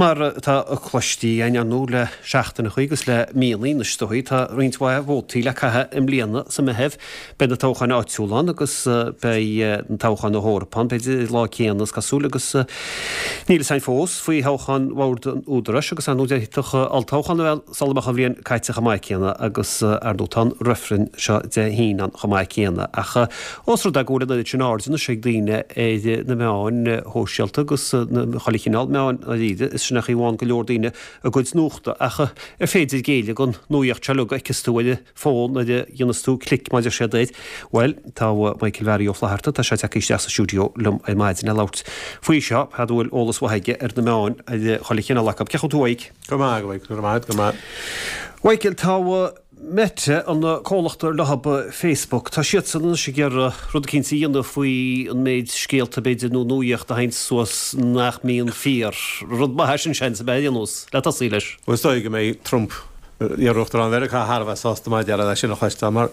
Mar atá cloiste againn, ar ndóigh, le seachtaineachaí agus le míonna anois is dóigh, tá roinnt mhaith vótaí le caitheamh i mbliana sa Mheitheamh. Beidh na toghcháin áitiúla ann agus beidh na toghcháin na hEorpa ann, b'fhéidir, an lá céanna is cosúil agus níl fhios againn fós faoi thoghchán Bhord an Údaráis agus ar ndóigh d'fhéadfadh olltoghchán a bheith ann sula mbeadh an bhliain caite chomh maith céanna agus ar ndóigh tá an reifreann seo Dé hAoine ann chomh maith céanna. Ach ós rud é go bhfuil an oiread sin aird anois ag daoine ar na meáin shóisialta agus chuile chineál meáin dáiríre, is sin é an chaoi a bhfaigheann go leor daoine a gcuid nuachta. Ach ar féidir géilleadh don nuaíocht seo uilig a fheiceas tú ar an bhfón nuair a dhéanas tú clic mar a deir siad air? Bhuel, tá Michael Mhary Ó Flatharta, tá sé tagtha isteach sa stiúideo liom ar maidin le labhairt faoi seo, fear a bhfuil eolas mhaith aige ar na meáin ar chuile chineál acu. Cén chaoi a bhfuil tú, a Mhike? Go maith, go raibh maith agat, go maith. Mhichael, tá Meta, an comhlacht ar leothab Facebook, tá siadsan anois ag iarraidh rud eicínt a dhéanamh faoi an méid scéalta, b'fhéidir, nó nuaíocht a théann suas nach mbíonn fíor. Rud maith é sin, seans, ab ea, ar aon nós, le tosaí leis. Bhuel, is dóigh go mbeidh Trump, iar-Uachtarán Mheiriceá, thar a bheith sásta mar a déarfá leis sin a chloisteáil, mar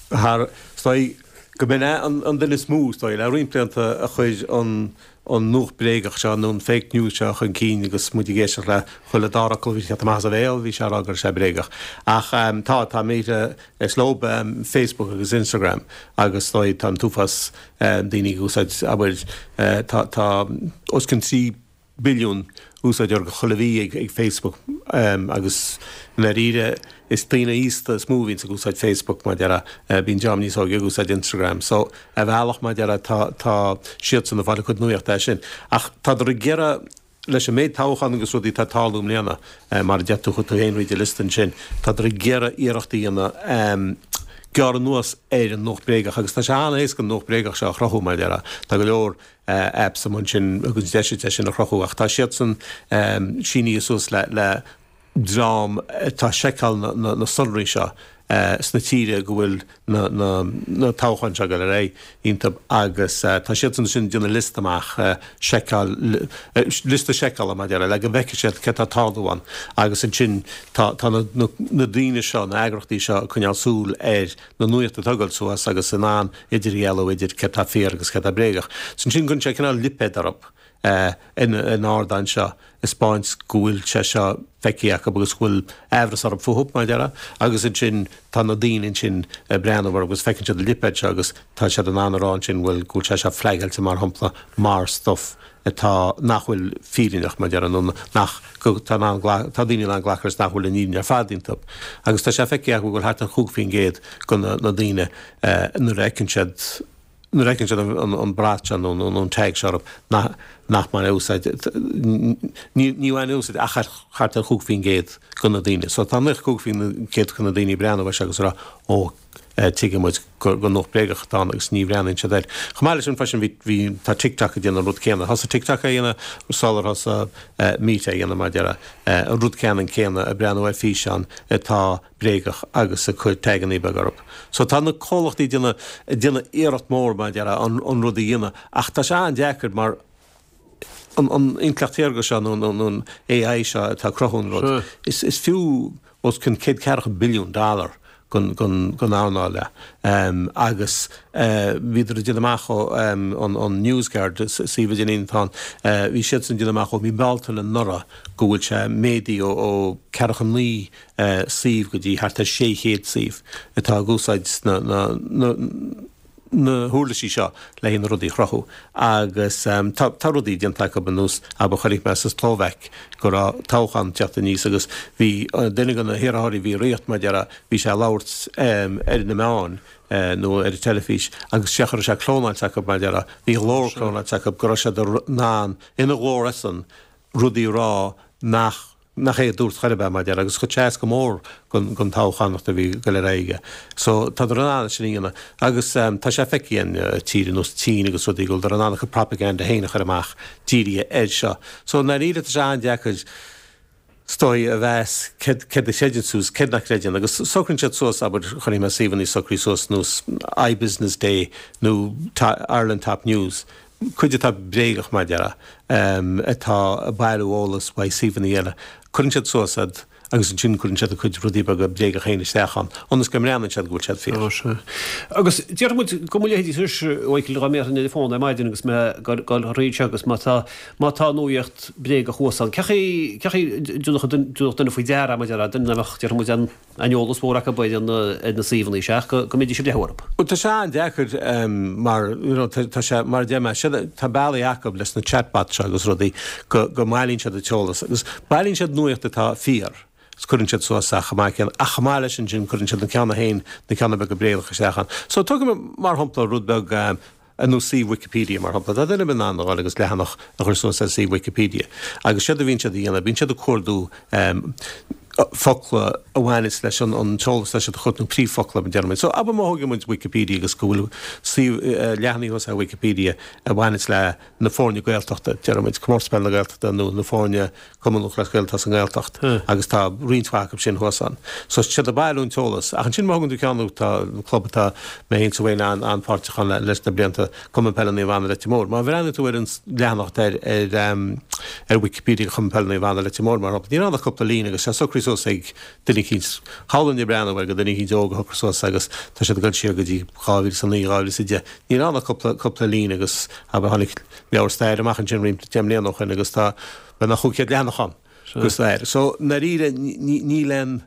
thar, is dóigh go mb'in é an duine is mó, is dóigh, le roinnt blianta a chuir an an nuacht bréagach seo nó an fake news seo chun cinn agus muid ag éisteacht le chuile dara fhocal a bhí ag teacht amach as a bhéal, bhí sé ag rá go raibh sé bréagach. Ach tá, tá Meta, is leob Facebook agus Instagram agus is dóigh tá an t-uafás daoine ag úsáid, abair, tá, tá os cionn 3 billiún úsáideoir chuile mhí ag Facebook agus i ndáiríre is daoine aosta is mó a bhíonns ag úsáid Facebook mar a déarfá, bíonn dream níos óige ag úsáid Instagram. So ar bhealach mar a déarfá tá tá siadsan ag fáil a gcuid nuachta as sin. Ach tádar ag iarraidh leis an méid toghchán agus rudaí atá ag tarlú i mbliana, mar a deir tú, chuir tú féin thríd an liosta ansin, tádar ag iarraidh iarracht a dhéanamh gearradh anuas ar an nuacht bréagach agus tá sé an-éasca an nuacht bréagach seo a chruthú mar a déarfá. Tá go leor apps amuigh ansin a thugann deis duit é sin a chruthú ach tá siadsan sínithe suas le le dream atá ag seiceáil na sonraí seo sna tíre go bhfuil na na na toghcháin seo ag dul ar aghaidh iontu agus tá siadsan ansin ag déanamh liosta amach seiceáil liosta seiceála mar a déarfá le go bhfeicfidh siad céard atá ag tarlú ann agus ansin tá tá na na daoine seo na eagrachtaí seo ag coinneáil súil ar na nuaíocht atá ag dul suas agus in ann idirdhealú idir céard tá fíor agus céard tá bréagach. So ansin cuireann sé cineál lipéad orthu ar an ardán seo ag 'spáint go bhfuil sé seo feicthe acu agus go bhfuil aimhreas orthu fúthu, mar a déarfá, agus ansin tá na daoine ansin ag breathnú orthu agus feiceann siad an lipéad seo agus tá siad in ann a rá ansin bhuel go bhfuil sé seo flagáilte mar shampla mar stuff atá, nach bhfuil fírinneach, mar a déarfá, nó nach, go, tá in ann, tá daoine in ann glacadh leis nach bhfuil an fhírinne ar fad iontu. Agus tá sé feicthe acu go bhfuil thart ar 5% de na daoine nuair a fheiceann siad, nuair a fheiceann siad an brat seo nó an tag seo orthu nach, nach mbaineann úsáid, ní, ní bhaineann úsáid ach thart ar 5% de na daoine. So tá 95% de na daoine ag breathnú air seo agus ag rá, ó, tuigeann muid gur nuacht bréagach atá ann agus ní bhreathnaíonn siad air. Chomh maith leis sin freisin bhí, bhí, tá TikTok ag déanamh an rud céanna. Thosaigh TikTok é a dhéanamh sular thosaigh Meta é a dhéanamh mar a déarfá. An rud ceannann céanna, ag breathnú ar físeán atá bréagach agus ag cur tagannaí beaga orthu. So tá na comhlachtaí ag déanamh, ag déanamh iarracht mór mar a déarfá an, an rud a dhéanamh ach tá sé an-deacair mar an intleacht shaorga seo nó an AI seo atá ag cruthú an rud, is fiú os cionn 140 billiún dollar don earnáil é. Agus bhíodar ag déanamh amach ó an NewsGuard, suíomh idirlín atá ann, bhí siadsan ag déanamh amach ó mhí Bealtaine anuraidh go bhfuil sé méadaithe ó 49 suíomh go dtí thart ar 600 suíomh atá ag úsáid na na huirlisí seo le haghaidh na rudaí a chruthú agus tá tá rudaí déanta acu ar nós abair chonaic mé sa tSlóvaic go raibh toghchán ag teacht aníos agus bhí duine de na hiarrthóirí a bhí ag rith mar a déarfá bhí sé ag labhairt ar na meáin nó ar an teilifís agus sé chaoi a raibh sé clónáilte acu mar a déarfá bhí a ghlór clónáilte acu go raibh siad in ann ina ghlór eisean rudaí a rá nach nach é a dúirt chor ar bith, mar a déarfá, agus chuir sé as go mór don toghchánacht a bhí ag dul ar aghaidh aige. So, tádar in ann sin a dhéanamh. Agus tá sé feicthe in tír ar nós an tSín agus rudaí go bhfuildar in ann a gcuid propaganda féin a chur amach dírithe air seo. So, i ndáiríre, tá sé an-deacair is dóigh a mheas céard céard a chreideann tú is céard nach gcreideann. Agus socraíonn siad suas, abair, chonaic mé suíomhanna socraithe suas nós iBusiness Day nó Ireland Top News, cuid atá bréagach mar a déarfá, atá ag bailiú eolas uaidh suíomhanna eile. Cuireann siad suas iad. agus ansin cuireann siad a gcuid rudaí beaga bréagacha féin isteach ann, ionas go mbreathnaíonn siad go bhfuil siad fíor. Ó, sea. Agus déarfaidh muid go mba leithéidí anois, a Mhichael, dá mbéarfainn ar an bhfón ar maidin agus mé ag dul thríd seo agus má tá, má tá nuaíocht bréagach thuas ann, cén chaoi, cén chaoi a dtabharfadh duine faoi deara, mar a déarfá, duine nach mbeadh, déarfaidh muid, aon eolas mór acu ar na, ar na suíomhanna seo ach go, go mbeidís ag breathnú orthu. Bhuel, tá sé an-deacair mar, you know, tá sé, mar a deir mé, siad, tá bealaí acu leis na chatbots seo agus rudaí go, go mbailíonn siad an t-eolas agus bailíonn siad nuaíocht atá fíor agus cuireann siad suas é chomh maith céanna ach chomh maith leis ansin cuireann siad an ceann a féin, na ceanna beaga bréagacha isteach ann. So tógfaidh mé mar shampla rud beag, ar nós suíomh Wikipedia, mar shampla. Tá duine ar bith in ann a dhul agus leathanach a chur suas ar suíomh Wikipedia. Agus séard a bhíonn siad a dhéanamh, bíonn siad ag cuardú focla a bhaineas leis an t-eolas atá siad a chuardú, nó príomhfhocla, mar a déarfaidh muid. So, abair má thógann muid Wikipedia agus go bhfuil suíomh, leathanaigh thuas ar Wikipedia a bhaineas le na foirne Gaeltachta, déarfaidh muid, Comórtas Peile na Gaeltachta nó na foirne Cumann Lúthchleas Gael atá sa nGaeltacht agus tá roinnt mhaith acu sin thuas ann. So tá siad ag bailiú an t-eolas. Ach ansin má thugann tú ceann tá club atá mé féin is Wayne an-pháirteach ann leis na blianta, Cumann Peile Naomh Anna Leitir Móir. Má bhreathnaíonn tú ar an leathanach atá ar ar Wikipedia Chumann Peile Naomh Anna Leitir Móir mar shampla, níl ann ach cúpla líne agus tá sé socraithe suas ag duine eicínt, shamhlóinn ag breathnú air gur duine eicínt óg a shocraigh suas agus tá siad ag dul siar go dtí 2009, 2010. Níl ann ach cúpla cúpla líne agus abair tháinig leabhar staire amach ansin roinnt deich mbliana ó shin agus tá beagnach 500 leathanach ann de stair. So, i ndáiríre, níl aon,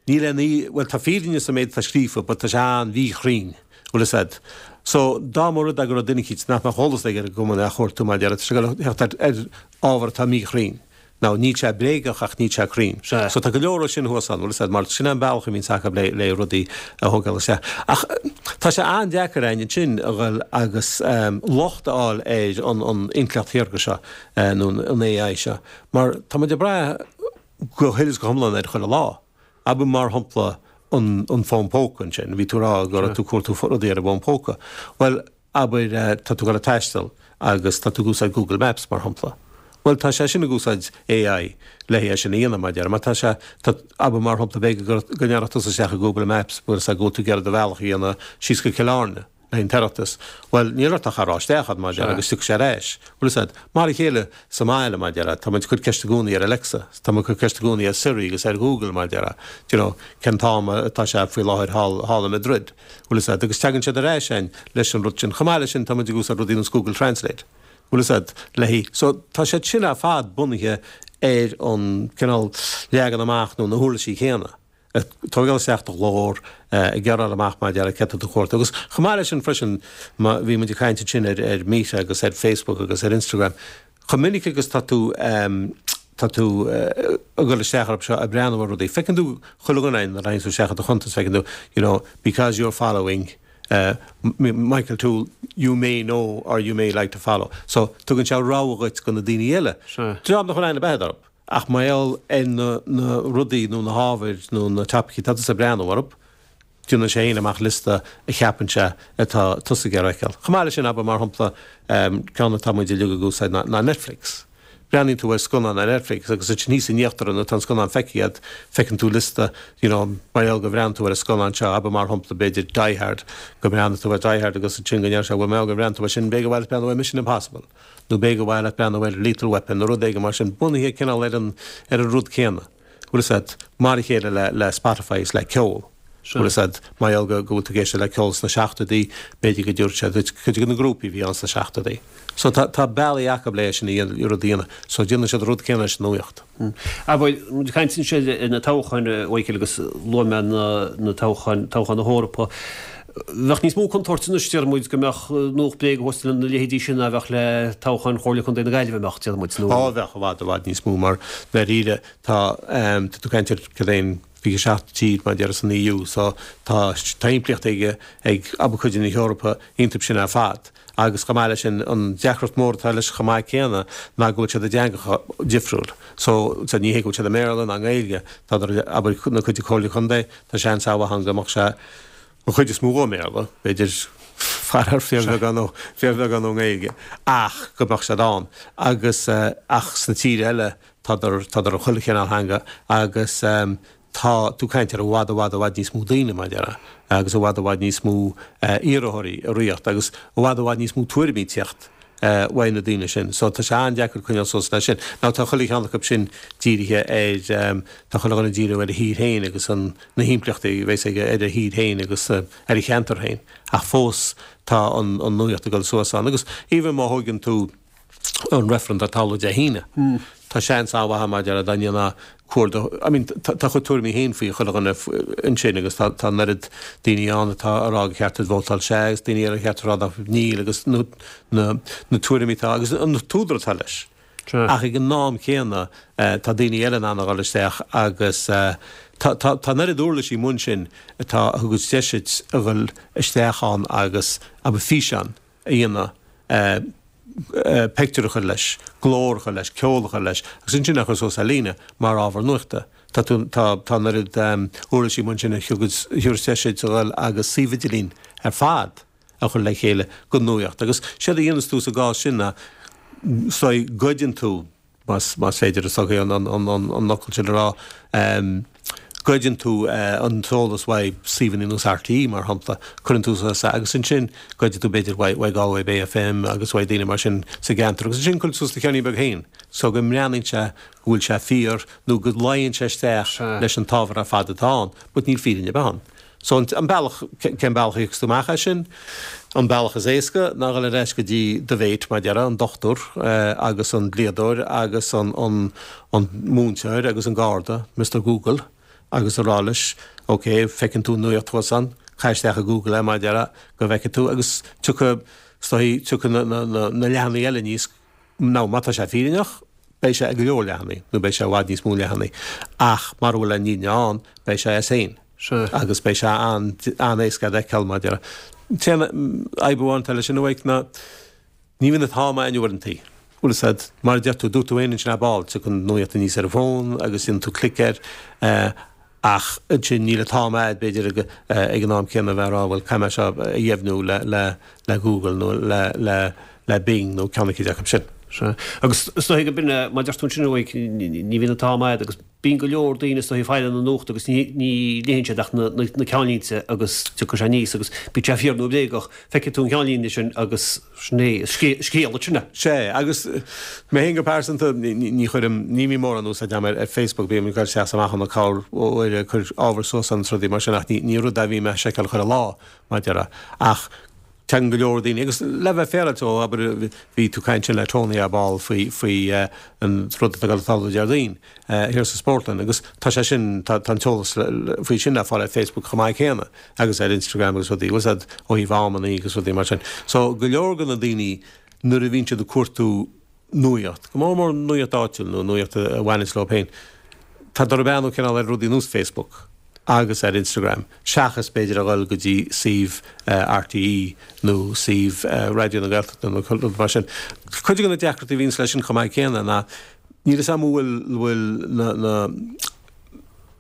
níl aon, bhuel tá fírinne sa méid atá scríofa but tá sé an-mhíchruinn, bhfuil fhios a'd. So, dá mba rud é go raibh duine eicínt nach mbeadh eolas aige ar an gcumann á chuartú mar a déarfá, tá sé ag dul a theacht ar ábhar atá míchruinn. Now, níl sé bréagach ach níl sé cruinn. Sea. So tá go leor sin thuas ann, bhfuil fhios a'd, mar sin é an bealach a bhíonns acu le, le rudaí a thógáil isteach. Ach tá sé an-deacair againn ansin a dhul agus locht a fháil ar an, an intleacht shaorga seo, nó an AI seo, mar tá muid ag brath go huile is go hiomlán air chuile lá. Abair mar shampla an, an fón póca ansin, bhí tú ag rá go raibh tú ag cuartú rudaí ar an bhfón póca. Bhuel, Abair, tá tú ag dul ag taisteal agus tá tú ag úsáid Google Maps, mar shampla. Bhuel, tá sé sin ag úsáid AI le é sin a dhéanamh, mar a déarfá. Mar tá sé, tá, abair mar shampla, b'fhéidir go, go ndéarfadh tusa isteach i Google Maps, bhfuil fhios a'd, go bhfuil tú ag iarraidh do bhealach a dhéanamh síos go Cill Airne le haghaidh an tOireachtas. Bhuel, níl ort ach a rá isteach ann, mar a déarfá, agus tiocfaidh sé ar ais. Bhfuil fhios a'd. Mar a chéile sa mbaile, mar a déarfá, tá muid ag cur ceist i gcónaí ar Alexa, tá muid ag cur ceist i gcónaí ar Siri agus ar Google, mar a déarfá, do you know, cén t-am atá sé faoi láthair thall, thall i Madrid. Bhfuil fhios a'd, agus tagann siad ar ais a'inn leis an rud sin. Chomh maith leis sin, tá muid ag úsáid rudaí ar nós Google Translate. Bhfuil fhios a'd, le haghaidh, so tá siad sin ar fad bunaithe ar an cineál leagan amach nó na huirlisí céanna. Ag tógáil isteach do ghlór, ag gearráil amach mar a déarfá céard atá tú a chuartú. Agus chomh maith leis sin freisin, má, bhí muid ag caint ansin ar, ar Meta agus ar Facebook agus ar Instagram, Chomh minic agus tá tú tá tú ag dul isteach orthu seo ag breathnú ar rudaí, feiceann tú chuile dhuine nuair a théann tú isteach i do chuntas, feiceann tú, you know, because you're following Michael Toole, you may know or you may like to follow. So, tugann sé rogha dhuit go na daoine eile. Dream nach bhfuil aithne ar bith orthu, ach mar gheall ar na na rudaí nó na hábhair nó na topaicí atá tusa ag breathnú orthu, Déanann sé féin amach liosta a cheapann sé atá tusa ag iarraidh a fheiceáil. Chomh maith leis sin, abair mar shampla, ceann atá muid uilig ag úsáid ná Netflix. Breathnaíonn tú ar scannán ar Netflix agus ansin thíos in íochtar nuair atá an scannán feicthe agat, feiceann tú liosta, you know, mar gheall go bhreathnaigh tú ar an scannán seo, abair mar shampla, b'fhéidir Die Hard, go mbreathnaigh tú ar Die Hard agus ansin go ndeir sé, bhuel, mar gheall go mbreathnaigh tú air sin, b'fhéidir gur mhaith leat breathnú ar Mission Impossible nó b'fhéidir gur mhaith leat breathnú ar Lethal Weapon nó rud éigin mar sin, bunaithe cineál ar an, ar an rud céanna. Bhfuil fhios a'd, mar a chéile le le Spotify is le ceol. Bhfuil fhios a'd, mar gheall go go bhfuil tú ag éisteacht le ceol sna seachtóidí, b'fhéidir go dtabharfaidh sé duit cuid de na grúpaí a bhí ann sna seachtóidí. So tá tá bealaí acu le é sin a dhéanamh, rud a dhéanamh. So déanann siad an rud céanna leis an nuaíocht. Abair, muid ag caint ansin ar na toghcháin, a Mhichíl, agus luaigh mé na na toghcháin, toghchán na hEorpa. Bheadh níos mó contúirte anois, deir muid, go mbeadh nuacht bréige thuas lena leithéidí sin ná a bheadh le toghchán Chomhairle Contae na Gaillimhe, an mbeadh, deir muid, nó. Á, bheadh i bhfad, i bhfad níos mó mar dáiríre tá, tá tú ag caint ar cad é an 27 tír mar a déarfá san EU so tá, tá impleacht ag, ag abair cuid de na hEorpa iontu sin ar fad agus chomh maith leis sin an deacracht mór atá leis chomh maith céanna ná go bhfuil siad i dteangacha difriúil so, so ní hé go bhfuil siad i mBéarla ná i nGaeilge, tá, abair na cuid de Comhairle Contae tá seans an-mhaith ann go mbeadh sé An chuid is mó i mBéarla, b'fhéidir, faraor fíorbheagán ó, fíorbheagán ón nGaeilge, ach go mbeadh siad ann. Agus, ach sna tíortha eile, tádar, tádar i chuile chineál theanga agus tá tú ag caint ar i bhfad, i bhfad, i bhfad níos mó daoine, mar a déarfá, agus i bhfad, i bhfad níos mó iarrthóirí ag rith agus i bhfad, i bhfad níos mó tuairimí ag tíocht. Uaidh na daoine sin. So tá sé an-deacair coinneáil suas leis sin. Now tá chuile cheann acu sin dírithe ar, tá chuile dhuine ag díriú ar a thír féin agus an, na himpleachtaí a bheas aige ar a thír féin agus ar a cheantar féin. Ach fós tá an, an nuaíocht ag dul suas ann. Agus even má thóigeann tú an reifreann atá ag tarlú Dé hAoine, tá seans an-mhaith ann mar a déarfá dá ndéanfá cuardach, I mean tá a chuid tuairimí féin faoi chuile dhuine ansin agus tá tá an oiread daoine ann atá a rá gur cheart duit vótáil sea agus daoine eile ar cheart a rá nach níl agus na na na tuairimí atá agus an t-údar atá leis. Ach ag an am céanna tá daoine eile in ann a dhul isteach agus tá tá tá an oiread uirlisí amuigh ansin atá a thugas deis duit a dhul isteach ann agus abair físeán a dhéanamh pictiúr a chur leis, glór a chur leis, ceol a chur leis agus ansin é a chur suas ar líne mar ábhar nuachta. Tá tú, tá, tá an oiread uirlisí amuigh ansin a thugas, a thabharfas deis duit a dhul agus suíomh idirlín ar fad a chur le chéile go nuaíocht agus séard a dhéanas tú sa gcás sin ná, so goideann tú, más féidir is dócha an fhocal sin a rá, goideann tú an t-eolas uaidh suíomhanna nós RTÉ, mar shampla, cuireann tú suas é agus ansin goideann tú b'fhéidir uaidh Galway Bay FM agus uaidh daoine mar sin sa gceantar agus ansin cuireann tú suas do cheainnín beag féin so go mbreathnaíonn sé go bhfuil sé fíor nó go luíonn sé isteach leis an t-ábhar ar fad atá ann but níl fírinne ar bith ann. So an bealach, cén bealach a thiocfas tú amach as sin? An bealach is éasca ná dhul ar ais go dtí do mhéit, mar a déarfá, an dochtúir agus an dlíodóir agus an an múinteoir agus an garda, Mister Google, agus a rá leis, ok, feiceann tú an nuaíocht thuas ann, caith isteach i Google é, mar a déarfá, go bhfeicfidh tú, agus tiocfaidh, is dóigh, tiocfaidh na na na leathanaigh eile aníos, Now, má tá sé fírinneach, beidh sé ag go leor leathanaigh, nó beidh sé i bhfad níos mó leathanaigh, ach mara bhfuil an fhírinne ann, beidh sé as féin. Agus beidh sé an-éasca a fheiceáil, mar a déarfá. An t-aon fhadhb amháin atá leis sin, a Mhaidhc, ná ní bhíonn an t-am a'inn uaireantaí. Bhfuil fhios a'd, mar a deir tú, dúirt tú féin ansin ar ball, tiocfaidh an nuaíocht aníos ar an bhfón agus déanann tú clic air, Ach ansin níl an t-am a'd, b'fhéidir, ag an am céanna a bheith ag rá, bhuel, caithfidh mé seo a dheimhniú le Google nó le Bing nó ceann eicínt acu sin. Sea. Agus is dóigh go b'in, mar a deir tú ansin, a Mhaidhc, ní bhíonn an t-am a'd agus bíonn go leor daoine is dóigh ag fáil na nuachta agus ní léann siad ach na ceannlínte agus tiocfaidh sé aníos agus bíodh sé fíor nó bréagach, feicfidh tú an cheannlíne sin agus Sin é, scéal sin é. Sea, agus mé féin go pearsanta, ní chuirim, ní bhím mórán úsáid agam ar Facebook, bím ag dul isteach is amach ann corruair ag cur ábhar suas ann is rudaí mar sin ach ní rud é a bhím ag seiceáil chuile lá, mar a déarfá. Ach tagann go leor daoine, agus le bheith féaráilte, ó abair bhí tú ag caint ansin le Tony ar ball faoi, faoi an rud atá ag dul ag tarlú Déardaoin. thiar sa Spórtlann agus tá sé sin, tá an t-eolas faoi sin le fáil ar Facebook chomh maith céanna agus ar Instagram agus rudaí, bhfuil fhios a'd, ó thaobh amannaí agus rudaí mar sin. So go leor de na daoine nuair a bhíonn siad ag cuartú nuaíocht, go mór mór nuaíocht áitiúil nó nuaíocht a bhaineas leo féin, tá ag breathnú cineál ar rudaí nós Facebook agus ar Instagram seachas b'fhéidir a dhul go dtí suíomh RTÉ nó suíomh Raidió na Gaeltachta nó rud mar sin. Cuid de na deacrachtaí a bhíonns leis sin chomh maith céanna ná Níl fhios a'm an bhfuil, bhfuil na, na,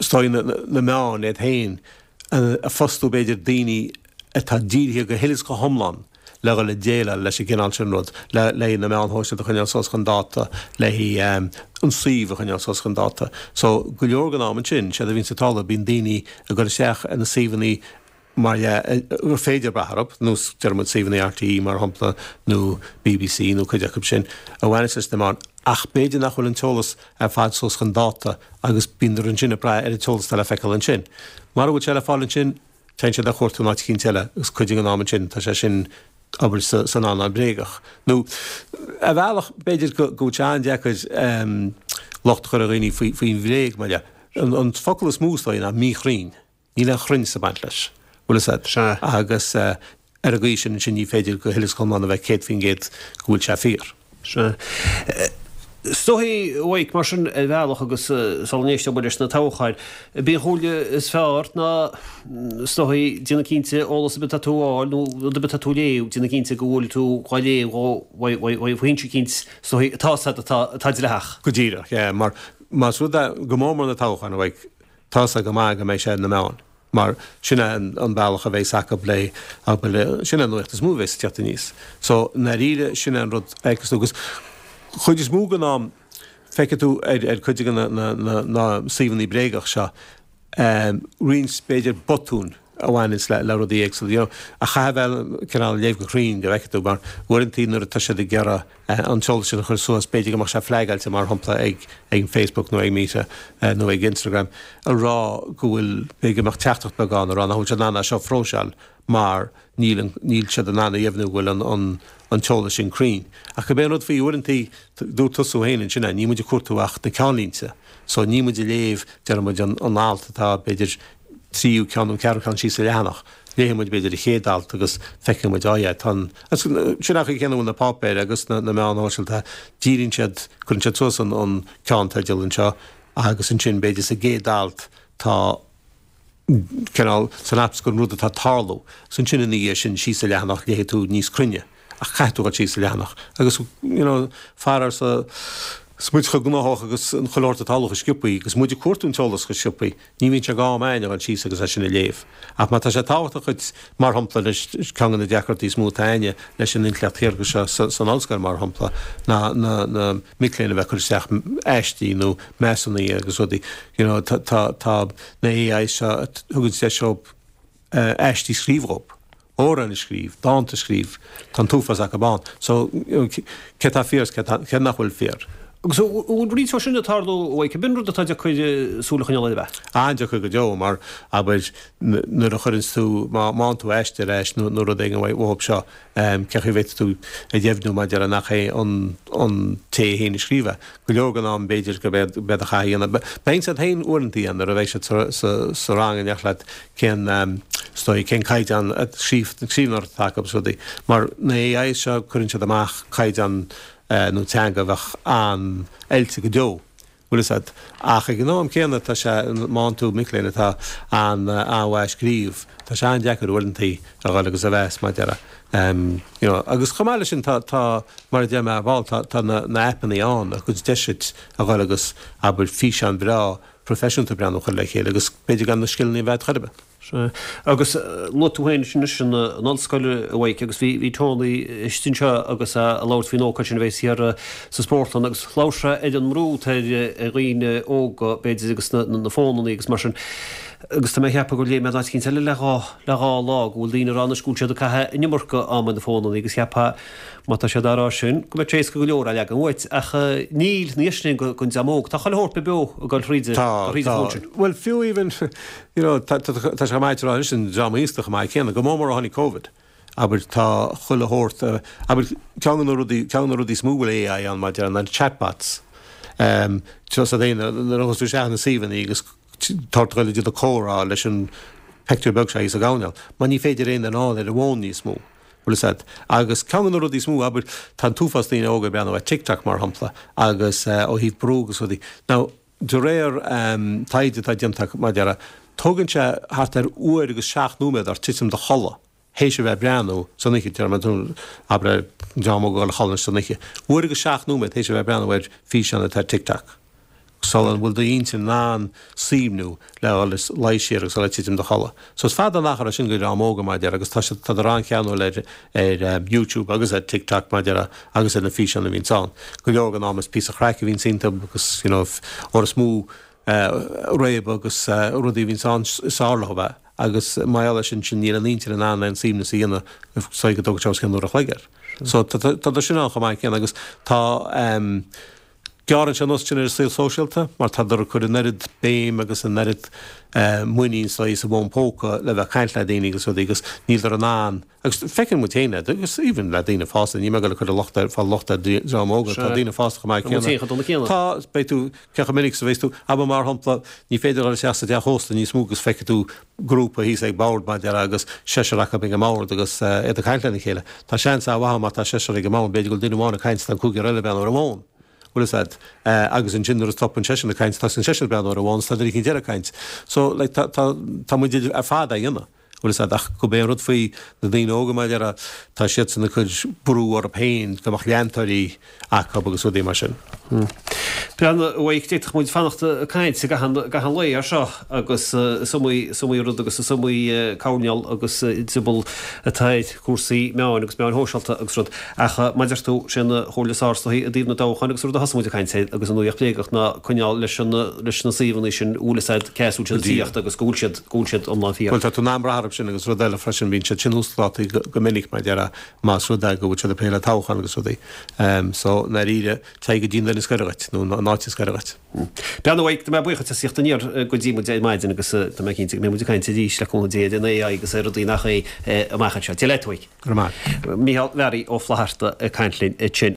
is dóigh na, na meáin iad féin ag fostú b'fhéidir daoine atá dírithe go huile is go hiomlán le dhul ag déileáil leis an gcineál sin rud, le, le na meáin shóisialta a choinneáil suas chun dáta, le an suíomh a choinneáil suas chun dáta. So, go leor den am ansin, séard a bhíonns ag tarlú, bíonn daoine ag dul isteach ar na suíomhanna mar dhea, gur féidir brath orthu, nós, deir muid, suíomhanna RTÉ, mar shampla, nó BBC, nó cuid acu sin, a bhaineas leis na meáin, ach b'fhéidir nach bhfuil an t-eolas ar fad suas chun dáta agus bíonn ansin ag brath ar an t-eolas atá le feiceáil ansin. Mara bhfuil sé le fáil ansin, téann siad á chuartú in áit eicínt eile agus cuid den am ansin tá sé sin abair san earnáil bréagach. Nó ar bhealach, b'fhéidir go bhfuil sé an-deacair locht a chur ar dhaoine faoin bhréag, mar dhea. An focal is mó is dóigh ná míchruinn. Níl aon chruinneas ag baint leis. Bhfuil fhios a'd. Sea. Agus ar an gcaoi sin ansin ní féidir go huile is go hiomlán a bheith 100% go bhfuil sé fíor. Sea. Is dóichí, a Mhaidhc, mar sin ar bhealach agus sula n-éisteoidh muid leis na toghcháin, b'í an chomhairle is fearr ná is dóichí déanamh cinnte eolas ar bith atá tú a fháil nó rud ar bith atá tú a léamh, déanamh cinnte go bhfuil tú dhá léamh ó fhoinse eicínt is dóichí atá fhios a'd atá dleathach. Go díreach, yeah, mar más rud é, go mór mór na toghcháin, a Mhaidhc, Tá fhios go maith go mbeidh sé ar na meáin, mar sin é an bealach a bheas acu le, abair, sin é an nuacht is mó a bheas ag teacht aníos. So, i ndáiríre, sin é an rud a fheiceas tú. Agus chuid is mó den am, feicfidh tú ar, ar cuid de na, na, na, na suíomhanna bréagach seo, roinnt, b'fhéidir, botúin. a bhaineanns le le rudaí éagsúla, you know, ach caithfidh a bheith cineál léamh go cruinn go bhfeicfidh tú, mar uaireantaí nuair atá siad ag iarraidh an t-eolas sin a chur suas, b'fhéidir go mbeadh sé flagáilte mar shampla ag ag Facebook nó ag Meta nó ag Instagram a rá go bhfuil, b'fhéidir go mbeadh teachtaireacht beag ann a rá nach bhfuil siad in ann é seo a phróiseáil mar níl an, níl siad in ann a dheimhniú go bhfuil an an an t-eolas sin cruinn. Ach gurb é an rud faoi uaireantaí, dúirt tusa féin ansin é, níl muid ag cuartú ach na ceannlínte, so níl muid ag léamh, déarfaidh muid, an an alt atá b'fhéidir tríú ceann nó ceathrú ceann síos sa leathanach. Léifidh muid b'fhéidir an chéad alt agus feicfidh muid, oh yeah, tá an, agus sin an chaoi chéanna a bhfuil na páipéir agus na na meáin shóisialta, díríonn siad, cuireann siad suas an an ceannteideal anseo agus ansin b'fhéidir sa gcéad alt tá cineál synopsis den rud atá ag tarlú. Agus ansin ina dhiaidh sin síos sa leathanach léifidh tú níos cruinne. Ach caithfidh tú dhul síos sa leathanach. Agus you know faraor sa is muid chomh gnóthach agus an chuile shórt ag tarlú chomh sciobthaí agus muid ag cuartú an t-eolas chomh sciobthaí, ní bhíonn sé d'am a'ainn a dhul síos agus é sin a léamh. Ach má tá sé tábhachtach dhuit, mar shampla, anois, ceann de na deacrachtaí is mó atá a'ainne leis an intleacht shaorga seo san ollscoil, mar shampla, ná na na mic léinn a bheith ag cur isteach aistí nó measúnuithe agus rudaí, you know, tá tá tá na AIs seo a thugann deis dóibh aistí a scríobh dhóibh. amhráin a scríobh, dánta a scríobh, tá an t-uafás acu ann. So, cé tá fíor is cé cé nach bhfuil fíor. Agus an bhfuil roinnt de sin ag tarlú uaidh, cibé an rud atá deacair súil a choinneáil air ab ea? An-deacair go deo, mar, abair, nuair a chuireanns tú, má fhaigheann tú aiste ar ais nó nó rud éigin uathub seo, cén chaoi a bhféadfaidh tú a dheimhniú maidir le nach é an an té féin a scríobh é. Go leor den am b'fhéidir gurb é a chaithfidh a dhéanamh. Bíonn siad féin uaireanta nuair a bheidh siad sa sa rang in éineacht leat cén is dóigh cén caighdeán scríbhneoireachta atá acu agus rudaí. Mar na AIs seo cuireann siad amach caighdeán nó teanga a bheadh an-oilte go deo. Bhfuil fhios a'd. Ach ag an am céanna tá sé, má fhaigheann tú mic léinn atá an-mhaith ag scríobh, tá sé an-deacair uaireantaí a dhul agus a mheas mar a déarfá. You know, agus chomh maith leis sin tá, tá, mar a deir mé ar ball, tá, tá na, na aipeannaí ann a thugann deis duit a dhul agus, abair, físeán breá proifisiúnta breathnú a chur le chéile agus b'fhéidir gan na scileanna a bheith a'd chor ar bith. Sea. Agus luaigh tú féin anois an ollscoil, a Mhaidhc, agus bhí bhí Tony istigh anseo agus é ag labhairt faoin ócáid sin a bheas thiar sa spórtlann agus labhair sé ar an mbrú atá ar dhaoine óga, b'fhéidir, agus na na fónannaí agus mar sin. Agus tá mé ag ceapadh gur léigh mé in áit eicínt eile le dhá le dhá lá go bhfuil daoine ag rá anois go bhfuil siad ag caitheamh an iomarca ama ar na fónannaí agus cheapfá má tá siad á rá sin go mbeadh sé éasca go leor é a leagan uait ach níl, ní sin don dream óg. Tá chuile shórt beo ag dul thríd Tá, thríd an tá. bhfón sin. Bhuel, fiú even, You know, tá, tá, tá sé chomh maith a rá anois an dream aosta chomh maith céanna, go mór mór ó tháinig Covid. Abair, tá chuile shórt, abair, ceann de na rudaí, ceann de na rudaí is mó a bhfuil AI ann maidir ná na chatbots. Um, tá fhios a'd fhéin, nuair a ghabhas tú isteach na suíomhanna agus tá ort a dhul ag déanamh comhrá leis an pictiúr beag seo thíos sa gcoirnéal, mar ní féidir aon duine a fháil ar an bhfón níos mó. Bhfuil fhios a'd. Agus ceann de na rudaí is mó, abair, tá an t-uafás daoine óga ag breathnú ar TikTok mar shampla, agus eh, ó thaobh brú agus rudaí. Now, De réir taighde atá déanta acu, mar a déarfá, tógann sé thart ar uair agus seacht nóiméad ort titim i do chodladh théis a bheith ag breathnú san oíche, déarfaidh mé, abair, an dream óg ag dul a chodladh san oíche, uair agus seacht nóiméad théis a bheith ag breathnú ar físeán atá ar TikTok, sula bhfuil d'intinn in ann suaimhniú le dhul is luí siar agus dul ag titim i do chodladh. So is fada an achar é sin do dhream óga, mar a déarfá, agus tá siad, tádar an-cheanúil ar, ar YouTube agus ar TikTok, mar a déarfá, agus ar na físeáin a bhíonns ann. Go leor den am is píosa craic a bhíonns iontu agus, you know, uair is mó réabadh agus rudaí a bhíonns ann is fearr leo é. Agus mar gheall air sin, sin níl an intinn in ann aon suaimhneas a dhéanamh is dóigh go dtógann sé os cionn uair a chloig air. So tá, tá, tá sin ann chomh maith céanna agus tá, Gearrann sé anuas ansin ar an saol sóisialta mar tádar ag cur an oiread béim agus an oiread muinín sa sa bhfón póca le bheith ag caint le daoine agus rudaí agus níldar in ann agus feiceann muid féin é agus even le daoine fásta, níl mé ag dul ag cur an locht ar fáil locht ar dream óga, tá daoine fásta chomh maith céanna. Tá, beidh tú, cé chomh minic is a bheas tú, abair mar shampla, ní féidir dul isteach sa teach ósta níos mó agus feicfidh tú grúpa thíos ag bord mar a déarfá agus seisear acu ag an mbord agus iad ag caint lena chéile. Tá seans an-mhaith ann má tá seisear ag an mbord, b'fhéidir go bhfuil duine amháin ag caint is tá an cúigear eile ag breathnú ar an bhfón. Bhfuil fhios a'd. Agus ansin nuair a stopann seisean ag caint, tosaíonn seisean ag breathnú ar an bhfón is tá duine eicínt eile ag caint. So, like, tá, tá, tá muid ar fad á dhéanamh. Bhfuil fhios a'd, ach gurb é an rud faoi na daoine óga mar a déarfá, tá siadsan ag cur brú orthu féin go mbeadh leantóirí acu agus rudaí mar sin. Breathnaigh, a Mhaidhc, d'fhéadfadh muid fanacht ag caint i gcaitheamh an lae air seo agus is iomaí, is iomaí rud agus is iomaí coirnéal agus drioball atá ar chúrsaí meáin agus meáin shóisialta agus rud. Ach mar a deir tú, sé an chomhairle is fearr is dóichí i dtaobh na dtoghchán agus an rud a thosaigh muid ag caint air agus an nuaíocht bhréagach ná coinneáil leis an, leis na suíomhanna sin a bhfuil fhios a'd cé as a bhfuil siad ag tíocht agus go bhfuil siad, go bhfuil siad iomlán fíor. Bhuel, tá tú in ann brath orthu sin agus rud eile freisin, bíonn siad sin uasdátaithe go minic mar a déarfá más rud é go bhfuil siad ag plé le toghchán agus rudaí. So, i ndáiríre, Téigh go dtí an duine is gaire dhuit, nó an áit is gaire dhuit. Breathnaigh, a Mhaidhc, tá mé buíoch as ucht a theacht aniar go dtí muid ar maidin agus tá mé cinnte go mbeidh muid ag caint arís le cúnamh Dé ar an AI agus ar rudaí nach é amach anseo. Dia leat, a Mhaidhc. Go raibh maith. Mícheál Mhearaí Ó Flaithearta ag caint linn ansin.